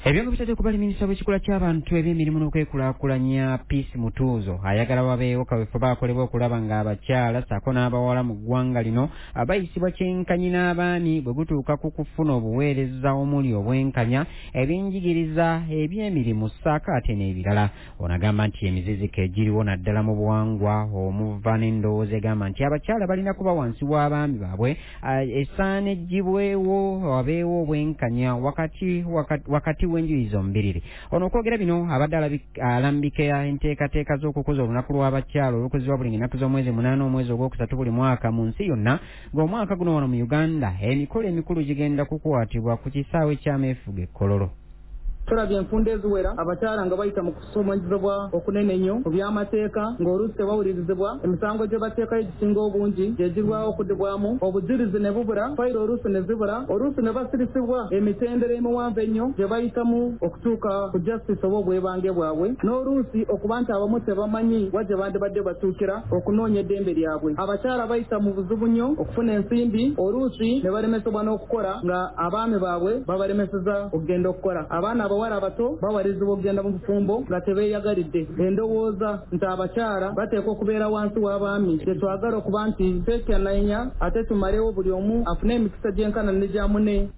Ebyo nga bitadde kubali, minisita w'ekikula ky'abantu, ebyemirimu n'okwekulaakulanya, Peace Mutuuzo, ayagala wabeewo kaweefube akolebwa okulaba ng'abakyala ssaako n'abawala mu ggwanga lino bayisibwa kyenkanyi n'abaami bwe gutuuka ku kufuna obuweereza omuli obwenkanya, ebyenjigiriza, ebyemirimu ssaako ate n'ebirala. Ono agamba nti emiziziko egiriwo naddala mu buwangwa omuva n'endowooza egamba nti abakyala balina kuba wansi w'abaami baabwe esaana eggyibwewo, wabeewo obwenkanya wakati w'enjuyi zombiriri. Ono okwogera bino abadde alambika enteekateeka z'okukuza olunaku lw'abakyala olukuzibwa buli nnaku z'omwezi 8 omwezi ogwokusatu buli mwaka mu nsi yonna, ng'omwaka guno wano mu Uganda emikolo emikulu gigenda kukwatibwa ku kisaawe ky'ameefuga e Kololo. Tulabye enfunda eziwera abakyala nga bayita mu kusomanyizibwa okunene ennyo mu by'amateeka, ng'oluusi tebawulirizibwa, emisango gye bateekayo egisinga obungi gye girwawo okuddibwamu, obujulizi ne bubula, fayiro oluusi ne zibula, oluusi ne basirisibwa emitendera emiwanvu ennyo gye bayitamu okutuuka ku justice oba obwebange bwabwe, n'oluusi okuba nti abamu tebamanyi wa gye bandibadde batuukira okunoonya eddembe lyabwe. Abakyala bayita mu buzibu nnyo okufuna ensimbi, oluusi ne balemesebwa n'okukola nga abaami baabwe babalemeseza okugenda okukola. Abaana abawala abato bawalirizibwa okugenda mu bufumbo nga tebeeyagalidde. Endowooza nti abakyala bateekwa okubeera wansi w'abaami gye twagala okuba nti twekyanaanya ate tumalewo, buli omu afune emikisa gyenkana ne gya munne.